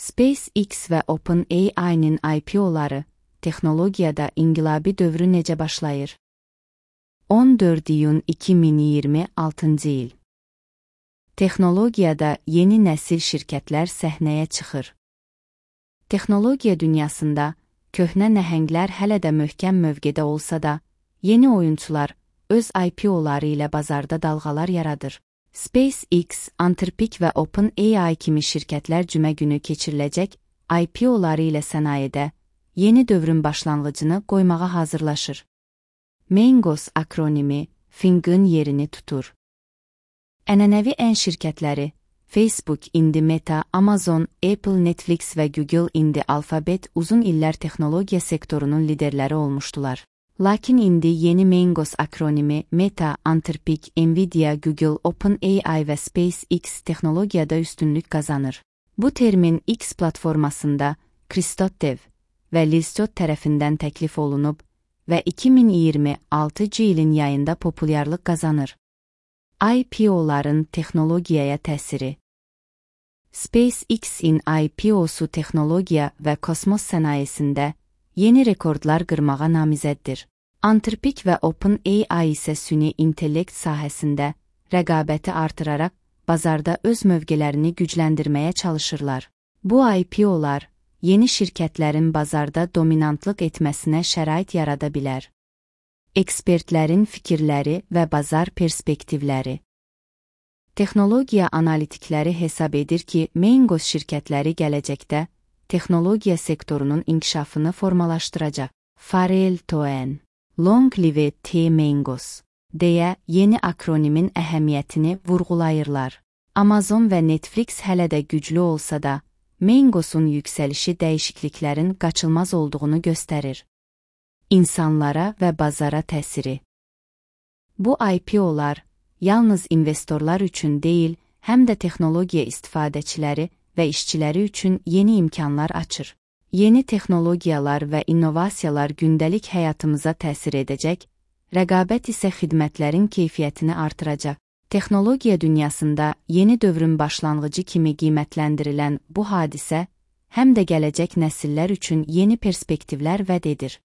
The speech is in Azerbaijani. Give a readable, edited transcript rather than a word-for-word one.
SpaceX və OpenAI-nin IPO-ları texnologiyada inqilabi dövrü necə başlayır? 14 iyun 2026-cı il. Texnologiyada yeni nəsil şirkətlər səhnəyə çıxır. Texnologiya dünyasında köhnə nəhənglər hələ də möhkəm mövqedə olsa da, yeni oyunçular öz IPO-ları ilə bazarda dalğalar yaradır. SpaceX, Anthropic və OpenAI kimi şirkətlər cümə günü keçiriləcək IPO-ları ilə sənayedə yeni dövrün başlanğıcını qoymağa hazırlaşır. Mengos akronimi FING-ın yerini tutur. Ənənəvi ən şirkətləri Facebook, indi Meta, Amazon, Apple, Netflix və Google, indi Alphabet uzun illər texnologiya sektorunun liderləri olmuşdular. Lakin indi yeni Mengos akronimi Meta, Anthropic, Nvidia, Google, OpenAI və SpaceX texnologiyada üstünlük qazanır. Bu termin X platformasında Christoph və Liztot tərəfindən təklif olunub və 2026-cı ilin yayında populyarlıq qazanır. IPO-ların texnologiyaya təsiri. SpaceX-in IPO-su texnologiya və kosmos sənayesində yeni rekordlar qırmağa namizəddir. Anthropic və OpenAI isə süni intellekt sahəsində rəqabəti artıraraq bazarda öz mövqelərini gücləndirməyə çalışırlar. Bu IPO-lar yeni şirkətlərin bazarda dominantlıq etməsinə şərait yarada bilər. Ekspertlərin fikirləri və bazar perspektivləri. Texnologiya analitikləri hesab edir ki, Mengos şirkətləri gələcəkdə texnologiya sektorunun inkişafını formalaşdıracaq. Farrell Toen, Long Live the Mengos deyə yeni akronimin əhəmiyyətini vurğulayırlar. Amazon və Netflix hələ də güclü olsa da, Mengos'un yüksəlişi dəyişikliklərin qaçılmaz olduğunu göstərir. İnsanlara və bazara təsiri. Bu IPO-lar yalnız investorlar üçün deyil, həm də texnologiya istifadəçiləri və işçiləri üçün yeni imkanlar açır. Yeni texnologiyalar və innovasiyalar gündəlik həyatımıza təsir edəcək, rəqabət isə xidmətlərin keyfiyyətini artıracaq. Texnologiya dünyasında yeni dövrün başlanğıcı kimi qiymətləndirilən bu hadisə, həm də gələcək nəsillər üçün yeni perspektivlər vəd edir.